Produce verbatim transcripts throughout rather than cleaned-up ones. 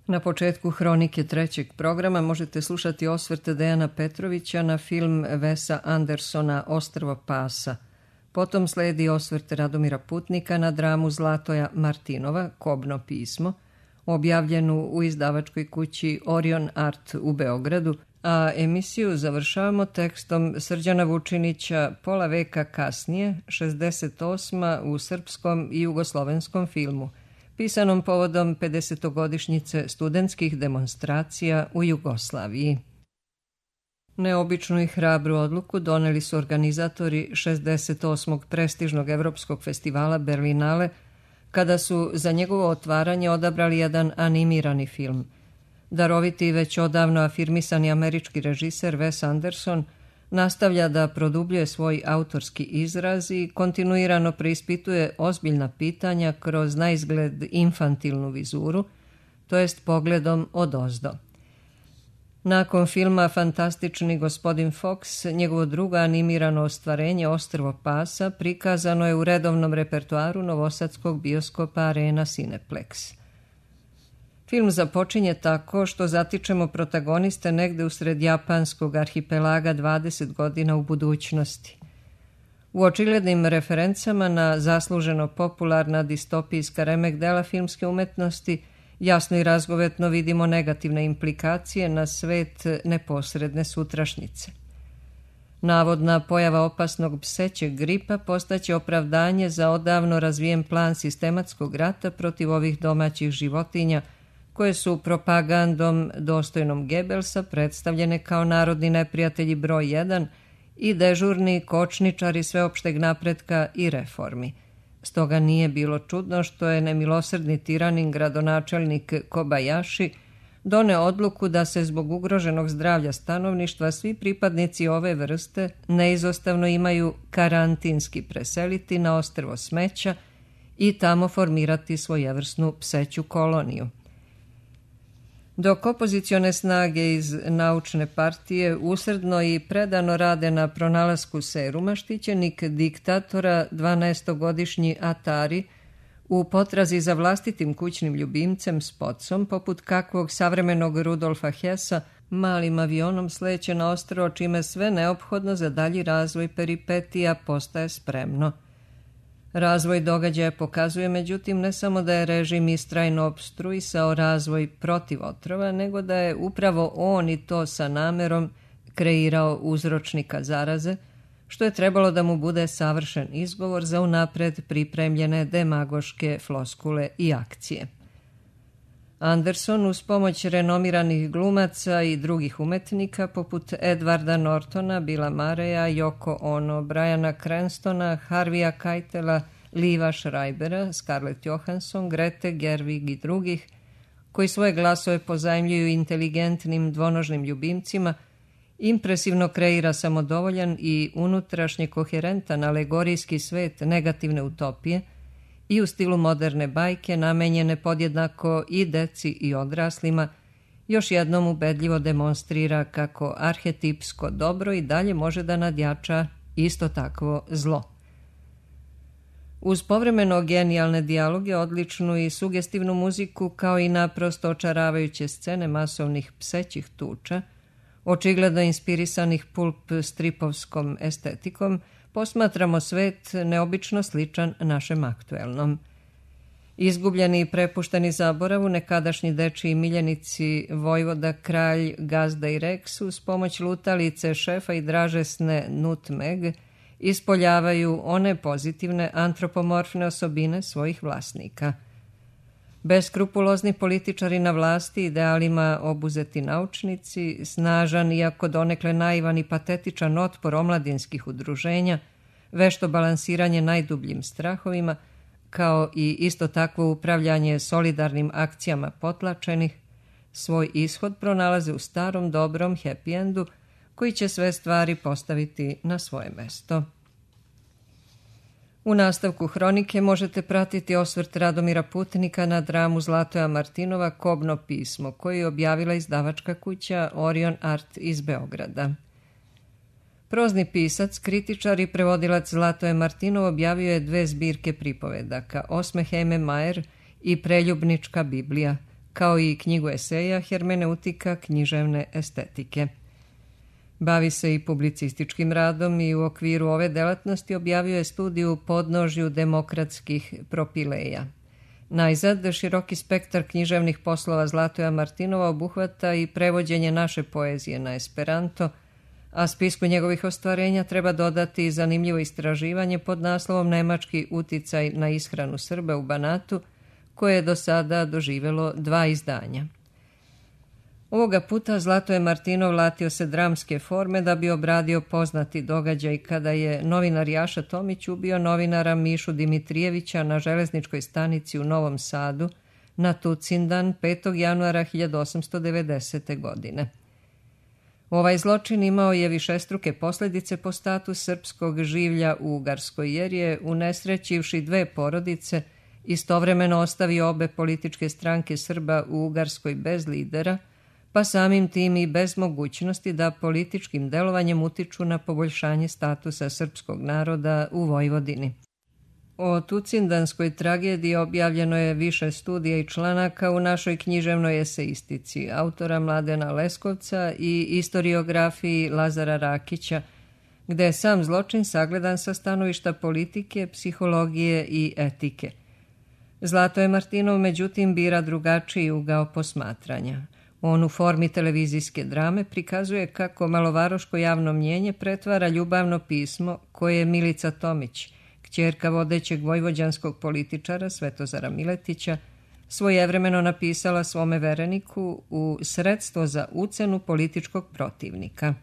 Na početku hronike trećeg programa možete slušati osvrt Dejana Petrovića na film Wesa Andersona Ostrvo pasa. Potom sledi osvrt Radomira Putnika na dramu Zlatoja Martinova Kobno pismo, objavljenu u izdavačkoj kući Orion Art u Beogradu, a emisiju završavamo tekstom Srđana Vučinića Pola veka kasnije, šezdeset osma u srpskom i jugoslovenskom filmu, pisanom povodom pedesetogodišnjice studentskih demonstracija u Jugoslaviji. Neobičnu i hrabru odluku doneli su organizatori šezdeset osmog prestižnog evropskog festivala Berlinale, kada su za njegovo otvaranje odabrali jedan animirani film. Daroviti i već odavno afirmisani američki režiser Wes Anderson nastavlja da produbljuje svoj autorski izraz i kontinuirano preispituje ozbiljna pitanja kroz naizgled infantilnu vizuru, to jest pogledom odozdo. Nakon filma Fantastični gospodin Fox, njegovo drugo animirano ostvarenje Ostrvo pasa prikazano je u redovnom repertoaru novosadskog bioskopa Arena Cineplex. Film započinje tako što zatičemo protagoniste negde usred japanskog arhipelaga dvadeset godina u budućnosti. U očiglednim referencama na zasluženo popularna distopijska remek dela filmske umetnosti jasno i razgovetno vidimo negativne implikacije na svet neposredne sutrašnjice. Navodna pojava opasnog psećeg gripa postaće opravdanje za odavno razvijen plan sistematskog rata protiv ovih domaćih životinja, koje su propagandom dostojnom Gebelsa predstavljene kao narodni neprijatelji broj jedan i dežurni kočničari sveopšteg napretka i reformi. Stoga nije bilo čudno što je nemilosrdni tiranin gradonačelnik Kobayashi doneo odluku da se zbog ugroženog zdravlja stanovništva svi pripadnici ove vrste neizostavno imaju karantinski preseliti na ostrvo smeća i tamo formirati svojevrsnu pseću koloniju. Dok opozicione snage iz naučne partije usrdno i predano rade na pronalasku seruma, štićenik diktatora, dvanaestogodišnji Atari, u potrazi za vlastitim kućnim ljubimcem Spotsom, poput kakvog savremenog Rudolfa Hessa, malim avionom sleće na ostrvo, čime sve neophodno za dalji razvoj peripetija postaje spremno. Razvoj događaja pokazuje, međutim, ne samo da je režim istrajno opstruisao razvoj protiv otrova, nego da je upravo on i to sa namerom kreirao uzročnika zaraze, što je trebalo da mu bude savršen izgovor za unapred pripremljene demagoške floskule i akcije. Anderson uz pomoć renomiranih glumaca i drugih umetnika poput Edwarda Nortona, Billa Murraya, Yoko Ono, Briana Cranstona, Harvija Keitela, Liva Schreibera, Scarlett Johansson, Grete Gerwig i drugih, koji svoje glasove pozajmljuju inteligentnim dvonožnim ljubimcima, impresivno kreira samodovoljan i unutrašnje koherentan alegorijski svet negativne utopije i u stilu moderne bajke namenjene podjednako i deci i odraslima, još jednom ubedljivo demonstrira kako arhetipsko dobro i dalje može da nadjača isto takvo zlo. Uz povremeno genijalne dijaloge, odličnu i sugestivnu muziku, kao i naprosto očaravajuće scene masovnih psećih tuča, očigledno inspirisanih pulp stripovskom estetikom, posmatramo svet neobično sličan našem aktuelnom. Izgubljeni i prepušteni zaboravu, nekadašnji dečiji miljenici Vojvoda, Kralj, Gazda i Rex uz pomoć lutalice, šefa i dražesne Nutmeg ispoljavaju one pozitivne antropomorfne osobine svojih vlasnika. Beskrupulozni političari na vlasti, idealima obuzeti naučnici, snažan iako donekle naivan i patetičan otpor omladinskih udruženja, vešto balansiranje najdubljim strahovima, kao i isto takvo upravljanje solidarnim akcijama potlačenih, svoj ishod pronalaze u starom dobrom happy endu koji će sve stvari postaviti na svoje mesto. U nastavku hronike možete pratiti osvrt Radomira Putnika na dramu Zlatoja Martinova Kobno pismo, koju je objavila izdavačka kuća Orion Art iz Beograda. Prozni pisac, kritičar i prevodilac Zlatoje Martinov objavio je dve zbirke pripovedaka, Osme Heme Majer i Preljubnička Biblija, kao i knjigu eseja Hermeneutika književne estetike. Bavi se i publicističkim radom i u okviru ove delatnosti objavio je studiju Podnožju demokratskih propileja. Najzad, široki spektar književnih poslova Zlatoja Martinova obuhvata i prevođenje naše poezije na esperanto, a spisku njegovih ostvarenja treba dodati zanimljivo istraživanje pod naslovom Nemački uticaj na ishranu Srba u Banatu, koje je do sada doživjelo dva izdanja. Ovoga puta Zlatoje Martinov latio se dramske forme da bi obradio poznati događaj kada je novinar Jaša Tomić ubio novinara Mišu Dimitrijevića na železničkoj stanici u Novom Sadu na Tucindan petog januara hiljadu osamsto devedesete. godine. Ovaj zločin imao je višestruke posljedice po status srpskog življa u Ugarskoj, jer je, unesrećivši dve porodice, istovremeno ostavio obe političke stranke Srba u Ugarskoj bez lidera, pa samim tim i bez mogućnosti da političkim delovanjem utiču na poboljšanje statusa srpskog naroda u Vojvodini. O Tucindanskoj tragediji objavljeno je više studija i članaka u našoj književnoj eseistici autora Mladena Leskovca i istoriografiji Lazara Rakića, gde je sam zločin sagledan sa stanovišta politike, psihologije i etike. Zlatoje Martinov međutim bira drugačiji ugao posmatranja. On u formi televizijske drame prikazuje kako malovaroško javno mnjenje pretvara ljubavno pismo koje je Milica Tomić, kćerka vodećeg vojvođanskog političara Svetozara Miletića, svojevremeno napisala svome vereniku u sredstvo za ucenu političkog protivnika.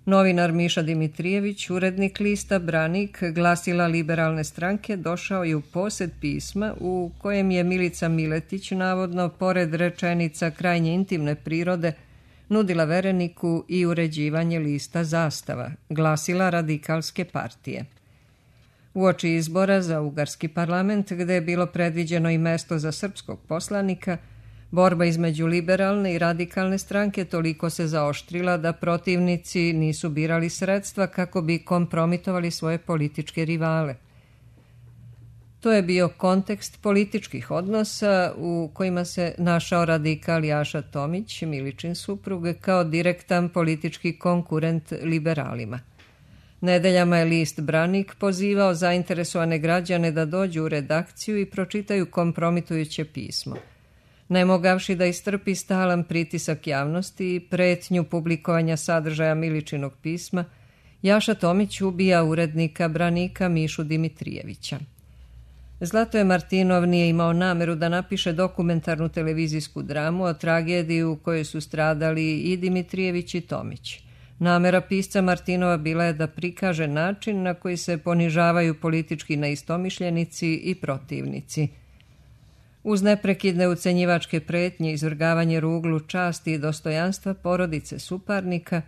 Novinar Miša Dimitrijević, urednik lista Branik, glasila liberalne stranke, došao je u posjed pisma u kojem je Milica Miletić, navodno, pored rečenica krajnje intimne prirode, nudila vereniku i uređivanje lista Zastava, glasila Radikalske partije. Uoči izbora za Ugarski parlament, gde je bilo predviđeno i mesto za srpskog poslanika, borba između liberalne i radikalne stranke toliko se zaoštrila da protivnici nisu birali sredstva kako bi kompromitovali svoje političke rivale. To je bio kontekst političkih odnosa u kojima se našao radikal Jaša Tomić, Miličin suprug, kao direktan politički konkurent liberalima. Nedeljama je list Branik pozivao zainteresovane građane da dođu u redakciju i pročitaju kompromitujuće pismo. Ne mogavši da istrpi stalan pritisak javnosti i pretnju publikovanja sadržaja Miličinog pisma, Jaša Tomić ubija urednika Branika Mišu Dimitrijevića. Zlatoje Martinov nije imao nameru da napiše dokumentarnu televizijsku dramu o tragediji u kojoj su stradali i Dimitrijević i Tomić. Namera pisca Martinova bila je da prikaže način na koji se ponižavaju politički neistomišljenici i protivnici. Uz neprekidne ucenjivačke pretnje, izvrgavanje ruglu časti i dostojanstva porodice suparnika,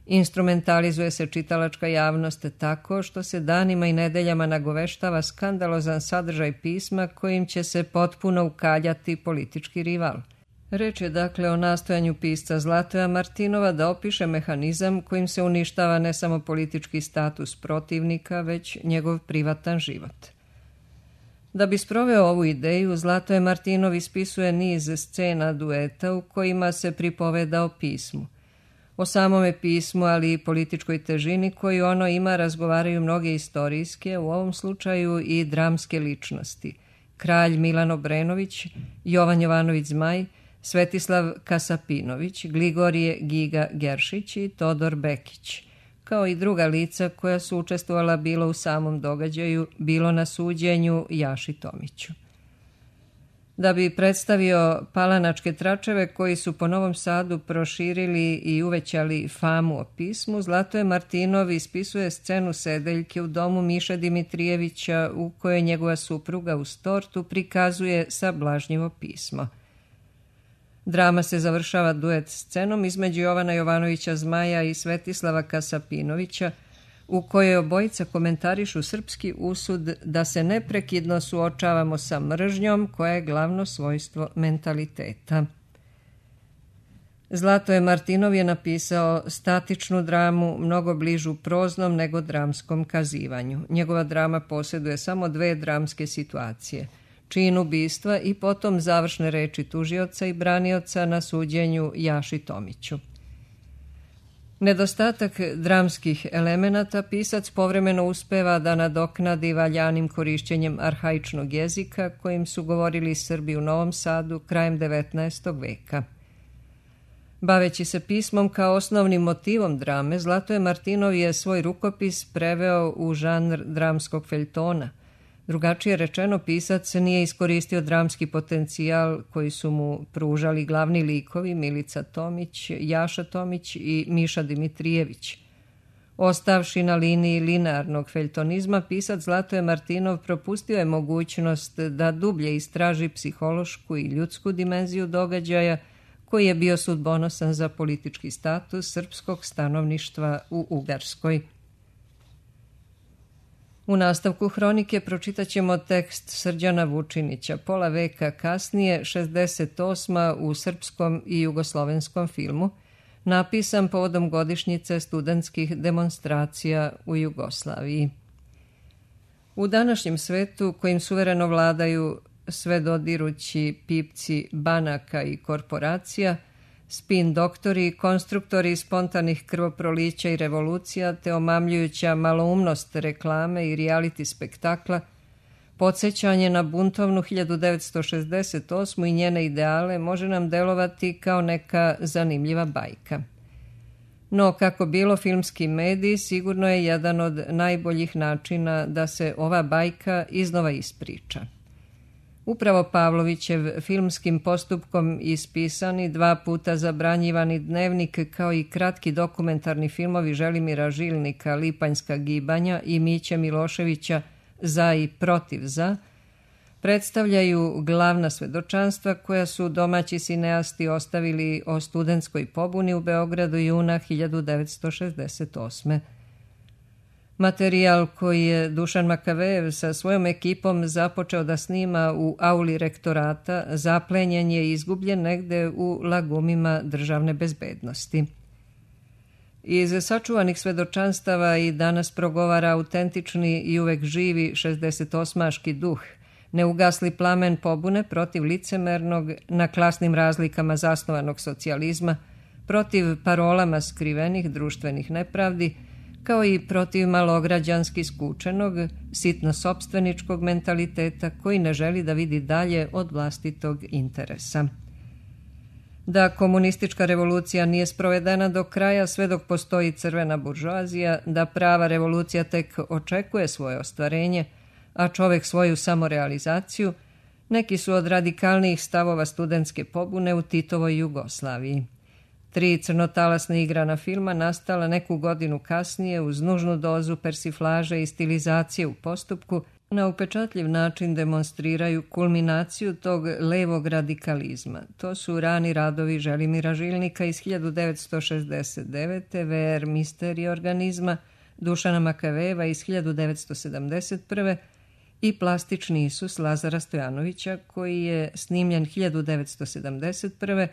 instrumentalizuje se čitalačka javnost tako što se danima i nedeljama nagoveštava skandalozan sadržaj pisma kojim će se potpuno ukaljati politički rival. Reč je dakle o nastojanju pisca Zlatoja Martinova da opiše mehanizam kojim se uništava ne samo politički status protivnika, već njegov privatan život. Da bi sproveo ovu ideju, Zlatoje Martinov ispisuje niz scena dueta u kojima se pripoveda o pismu. O samome pismu, ali i političkoj težini koju ono ima, razgovaraju mnoge istorijske, u ovom slučaju i dramske ličnosti. Kralj Milan Obrenović, Jovan Jovanović Zmaj, Svetislav Kasapinović, Gligorije Giga Geršić i Todor Bekić, kao i druga lica koja su učestvovala bilo u samom događaju, bilo na suđenju Jaši Tomiću. Da bi predstavio palanačke tračeve koji su po Novom Sadu proširili i uvećali famu o pismu, Zlatoje Martinov ispisuje scenu sedeljke u domu Miše Dimitrijevića u kojoj njegova supruga uz tortu prikazuje sablažnjivo pismo. Drama se završava duet scenom između Jovana Jovanovića Zmaja i Svetislava Kasapinovića, u kojoj obojica komentarišu srpski usud da se neprekidno suočavamo sa mržnjom koja je glavno svojstvo mentaliteta. Zlatoje Martinov je napisao statičnu dramu, mnogo bližu proznom nego dramskom kazivanju. Njegova drama posjeduje samo dve dramske situacije. čin ubistva i potom završne reči tužioca i branioca na suđenju Jaši Tomiću. Nedostatak dramskih elemenata pisac povremeno uspeva da nadoknadi valjanim korišćenjem arhaičnog jezika kojim su govorili Srbi u Novom Sadu krajem devetnaestog veka. Baveći se pismom kao osnovnim motivom drame, Zlatoje Martinov je svoj rukopis preveo u žanr dramskog feljtona. Drugačije rečeno, pisac nije iskoristio dramski potencijal koji su mu pružali glavni likovi Milica Tomić, Jaša Tomić i Miša Dimitrijević. Ostavši na liniji linearnog feljtonizma, pisac Zlatoje Martinov propustio je mogućnost da dublje istraži psihološku i ljudsku dimenziju događaja koji je bio sudbonosan za politički status srpskog stanovništva u Ugarskoj. U nastavku hronike pročitat ćemo tekst Srđana Vučinića, pola veka kasnije, šezdeset osma u srpskom i jugoslovenskom filmu, napisan povodom godišnjice studentskih demonstracija u Jugoslaviji. U današnjem svetu, kojim suvereno vladaju sve dodirući pipci banaka i korporacija, spin doktori, konstruktori spontanih krvoprolića i revolucija, te omamljujuća maloumnost reklame i reality spektakla, podsjećanje na buntovnu hiljadu devetsto šezdeset osmu i njene ideale može nam delovati kao neka zanimljiva bajka. No, kako bilo, filmski medij sigurno je jedan od najboljih načina da se ova bajka iznova ispriča. Upravo Pavlovićev filmskim postupkom ispisani, dva puta zabranjivani dnevnik kao i kratki dokumentarni filmovi Želimira Žilnika, Lipanjska gibanja i Miće Miloševića Za i protiv za, predstavljaju glavna svedočanstva koja su domaći sineasti ostavili o studentskoj pobuni u Beogradu juna hiljadu devetsto šezdeset osme. Materijal koji je Dušan Makavejev sa svojom ekipom započeo da snima u auli rektorata zaplenjen je i izgubljen negde u lagumima državne bezbednosti. Iz sačuvanih svedočanstava i danas progovara autentični i uvek živi šezdesetosmaški duh, neugasli plamen pobune protiv licemernog, na klasnim razlikama zasnovanog socijalizma, protiv parolama skrivenih društvenih nepravdi, kao i protiv malograđanski skučenog, sitno-sopstveničkog mentaliteta koji ne želi da vidi dalje od vlastitog interesa. Da komunistička revolucija nije sprovedena do kraja sve dok postoji crvena buržoazija, da prava revolucija tek očekuje svoje ostvarenje, a čovek svoju samorealizaciju, neki su od radikalnijih stavova studentske pobune u Titovoj Jugoslaviji. Tri crnotalasna igrana filma nastala neku godinu kasnije uz nužnu dozu persiflaže i stilizacije u postupku na upečatljiv način demonstriraju kulminaciju tog levog radikalizma. To su rani radovi Želimira Žilnika iz hiljadu devetsto šezdeset devete, V R Misterij organizma, Dušana Makavejeva iz hiljadu devetsto sedamdeset prve i Plastični Isus Lazara Stojanovića koji je snimljen hiljadu devetsto sedamdeset prve,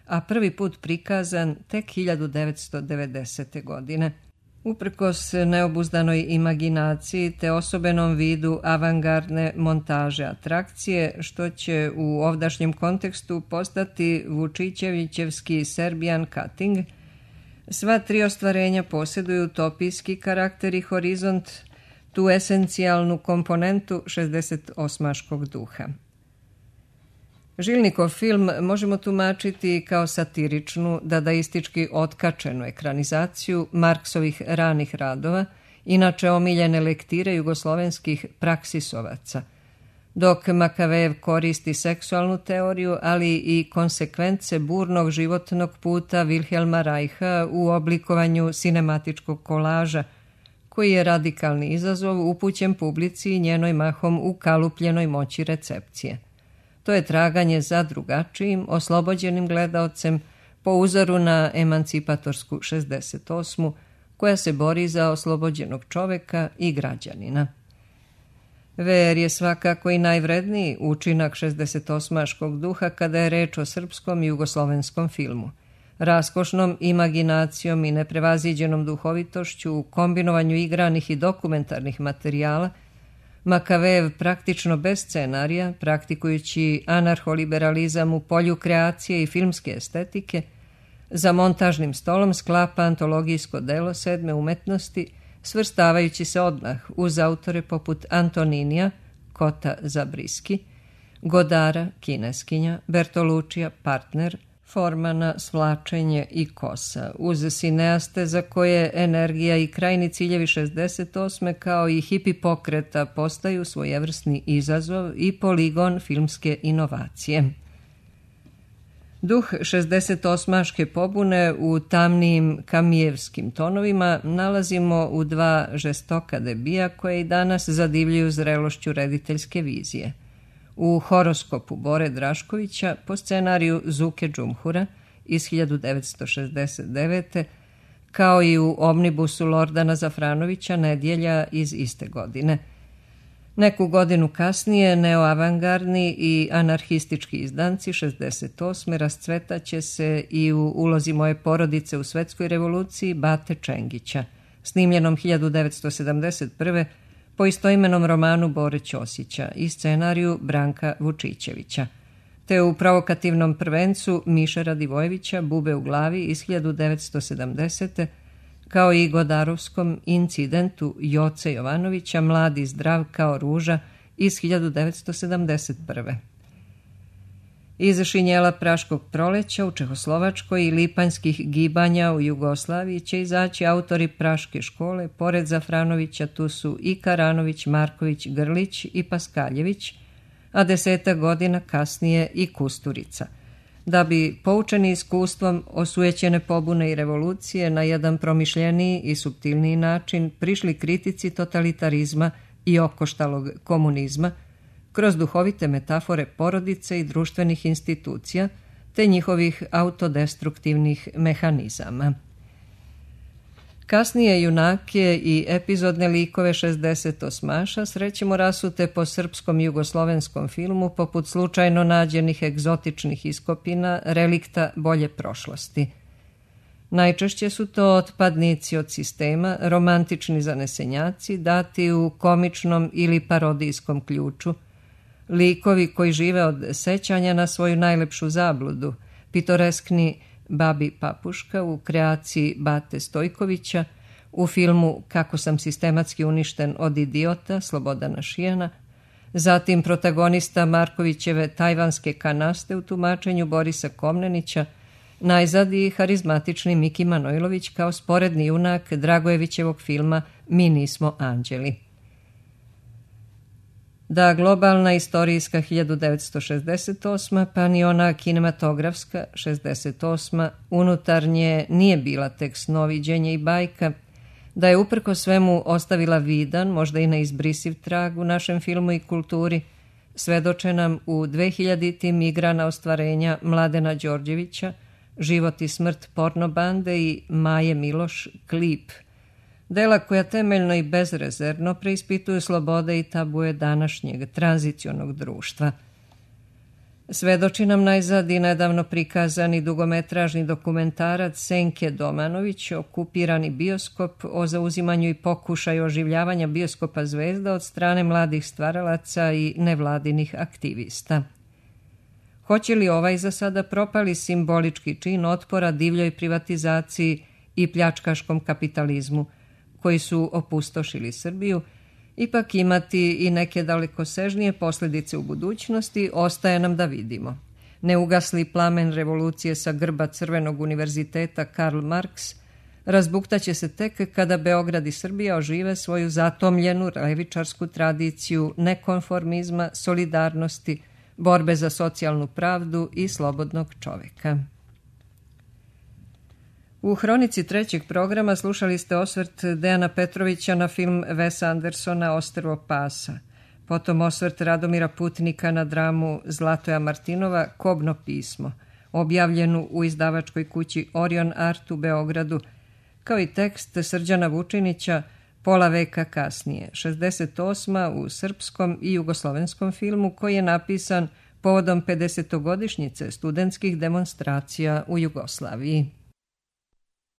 a prvi put prikazan tek hiljadu devetsto devedesete godine. Uprkos neobuzdanoj imaginaciji te osobenom vidu avangardne montaže atrakcije, što će u ovdašnjem kontekstu postati Vučićevićevski Serbian cutting, sva tri ostvarenja posjeduju utopijski karakter i horizont, tu esencijalnu komponentu šezdesetosmaškog duha. Žilnikov film možemo tumačiti kao satiričnu, dadaistički otkačenu ekranizaciju Marksovih ranih radova, inače omiljene lektire jugoslovenskih praksisovaca, dok Makavejev koristi seksualnu teoriju, ali i konsekvence burnog životnog puta Vilhelma Reicha u oblikovanju sinematičkog kolaža, koji je radikalni izazov upućen publici i njenoj mahom ukalupljenoj moći recepcije. To je traganje za drugačijim, oslobođenim gledaocem po uzoru na emancipatorsku šezdeset osmu, koja se bori za oslobođenog čoveka i građanina. V R je svakako i najvredniji učinak šezdesetosmaškog duha kada je reč o srpskom i jugoslovenskom filmu. Raskošnom imaginacijom i neprevaziđenom duhovitošću u kombinovanju igranih i dokumentarnih materijala Makavejev praktično bez scenarija, praktikujući anarholiberalizam u polju kreacije i filmske estetike, za montažnim stolom sklapa antologijsko delo sedme umetnosti, svrstavajući se odmah uz autore poput Antoninija, Kota Zabriski, Godara, kineskinja, Bertolučija, partner, Formana, svlačenje i kosa, uz sineaste za koje energija i krajni ciljevi šezdeset osme kao i hipi pokreta postaju svojevrsni izazov i poligon filmske inovacije. Duh šezdesetosmaške pobune u tamnijim kamijevskim tonovima nalazimo u dva žestoka debija koje i danas zadivljuju zrelošću rediteljske vizije. U Horoskopu Bore Draškovića po scenariju Zuke Džumhura iz hiljadu devetsto šezdeset devete kao i u Omnibusu Lordana Zafranovića Nedjelja iz iste godine. Neku godinu kasnije neoavangardni i anarhistički izdanci šezdeset osme rascvetaće se i u Ulozi moje porodice u svetskoj revoluciji Bate Čengića, snimljenom hiljadu devetsto sedamdeset prve po istoimenom romanu Bore Ćosića i scenariju Branka Vučićevića, te u provokativnom prvencu Miše Radivojevića Bube u glavi iz hiljadu devetsto sedamdesete kao i Godarovskom incidentu Joce Jovanovića Mladi zdrav kao ruža iz hiljadu devetsto sedamdeset prve. Iz Šinjela Praškog proleća u Čehoslovačkoj i Lipanjskih gibanja u Jugoslaviji će izaći autori Praške škole, pored Zafranovića tu su i Karanović, Marković, Grlić i Paskaljević, a desetak godina kasnije i Kusturica, da bi, poučeni iskustvom osujećene pobune i revolucije, na jedan promišljeniji i suptilniji način prišli kritici totalitarizma i okoštalog komunizma, kroz duhovite metafore porodice i društvenih institucija, te njihovih autodestruktivnih mehanizama. Kasnije junake i epizodne likove šezdesetosmaša srećemo rasute po srpskom i jugoslovenskom filmu poput slučajno nađenih egzotičnih iskopina, relikta bolje prošlosti. Najčešće su to otpadnici od sistema, romantični zanesenjaci, dati u komičnom ili parodijskom ključu, likovi koji žive od sećanja na svoju najlepšu zabludu, pitoreskni Babi Papuška u kreaciji Bate Stojkovića, u filmu Kako sam sistematski uništen od idiota Slobodana Šijana, zatim protagonista Markovićeve Tajvanske kanaste u tumačenju Borisa Komnenića, najzad i harizmatični Miki Manojlović kao sporedni junak Dragojevićevog filma Mi nismo anđeli. Da globalna istorijska hiljadu devetsto šezdeset osma pa ni ona kinematografska šezdeset osma unutarnje nije bila tek snoviđenje i bajka, da je uprko svemu ostavila vidan, možda i neizbrisiv trag u našem filmu i kulturi, svedoče nam u dvehiljaditim igrana ostvarenja Mladena Đorđevića, Život i smrt porno bande i Maje Miloš Klip, dela koja temeljno i bezrezervno preispituju slobode i tabuje današnjeg tranzicionog društva. Svedoči nam najzad i nedavno prikazani dugometražni dokumentarac Senke Domanović, Okupirani bioskop, o zauzimanju i pokušaju oživljavanja bioskopa Zvezda od strane mladih stvaralaca i nevladinih aktivista. Hoće li ovaj za sada propali simbolički čin otpora divljoj privatizaciji i pljačkaškom kapitalizmu, koji su opustošili Srbiju, ipak imati i neke dalekosežnije posljedice u budućnosti, ostaje nam da vidimo. Neugasli plamen revolucije sa grba Crvenog univerziteta Karl Marx razbuktaće se tek kada Beograd i Srbija ožive svoju zatomljenu levičarsku tradiciju nekonformizma, solidarnosti, borbe za socijalnu pravdu i slobodnog čoveka. U hronici trećeg programa slušali ste osvrt Dejana Petrovića na film Wesa Andersona Ostrvo pasa, potom osvrt Radomira Putnika na dramu Zlatoja Martinova Kobno pismo, objavljenu u izdavačkoj kući Orion Art u Beogradu, kao i tekst Srđana Vučinića Pola veka kasnije, šezdeset osma u srpskom i jugoslovenskom filmu koji je napisan povodom pedesetogodišnjice studentskih demonstracija u Jugoslaviji.